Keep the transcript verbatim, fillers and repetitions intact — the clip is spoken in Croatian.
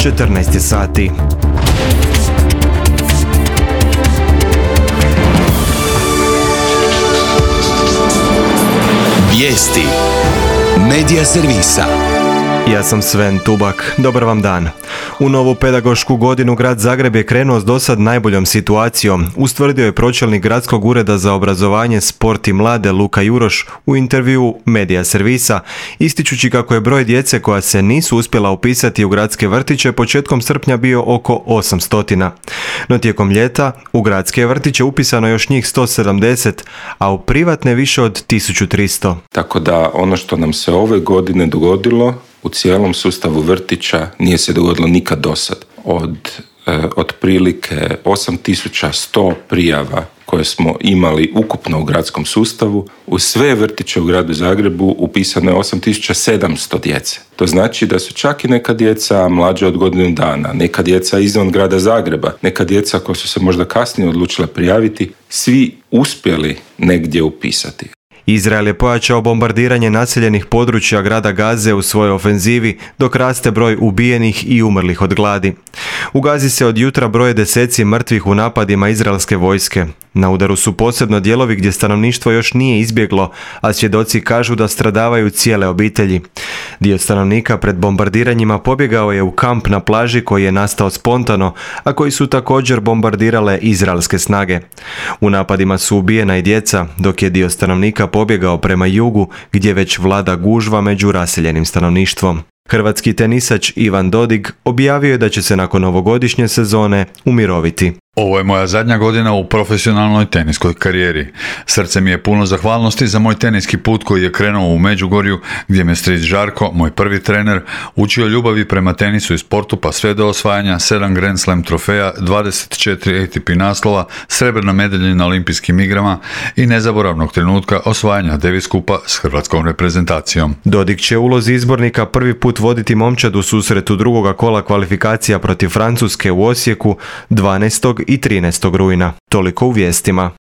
četrnaest je sati. Vijesti Medija servisa. Ja sam Sven Tubak, dobar vam dan. U novu pedagošku godinu grad Zagreb je krenuo s dosad najboljom situacijom, ustvrdio je pročelnik Gradskog ureda za obrazovanje, sport i mlade Luka Juroš u intervjuu Medija servisa, ističući kako je broj djece koja se nisu uspjela upisati u gradske vrtiće početkom srpnja bio oko osamsto. No tijekom ljeta u gradske vrtiće upisano još njih sto sedamdeset, a u privatne više od tisuću tristo. Tako da ono što nam se ove godine dogodilo u cijelom sustavu vrtića nije se dogodilo nikad dosad. Od e, otprilike osam tisuća sto prijava koje smo imali ukupno u gradskom sustavu, u sve vrtiće u gradu Zagrebu upisano je osam tisuća sedamsto djece. To znači da su čak i neka djeca mlađa od godinu dana, neka djeca izvan grada Zagreba, neka djeca koja su se možda kasnije odlučila prijaviti, svi uspjeli negdje upisati. Izrael je pojačao bombardiranje naseljenih područja grada Gaze u svojoj ofenzivi, dok raste broj ubijenih i umrlih od gladi. U Gazi se od jutra broje deseci mrtvih u napadima izraelske vojske. Na udaru su posebno dijelovi gdje stanovništvo još nije izbjeglo, a svjedoci kažu da stradavaju cijele obitelji. Dio stanovnika pred bombardiranjima pobjegao je u kamp na plaži koji je nastao spontano, a koji su također bombardirale izraelske snage. U napadima su ubijena i djeca, dok je dio stanovnika pobjegao prema jugu, gdje već vlada gužva među raseljenim stanovništvom. Hrvatski tenisač Ivan Dodig objavio je da će se nakon ovogodišnje sezone umiroviti. Ovo je moja zadnja godina u profesionalnoj teniskoj karijeri. Srce mi je puno zahvalnosti za moj teniski put koji je krenuo u Međugorju, gdje me stric Žarko, moj prvi trener, učio ljubavi prema tenisu i sportu pa sve do osvajanja sedam Grand Slam trofeja, dvadeset četiri A T P naslova, srebrna medalja na olimpijskim igrama i nezaboravnog trenutka osvajanja Davis Kupa s hrvatskom reprezentacijom. Dodig će u ulozi izbornika prvi put voditi momčad u susretu drugoga kola kvalifikacija protiv Francuske u Osijeku dvanaestog i trinaestog rujna. Toliko u vijestima.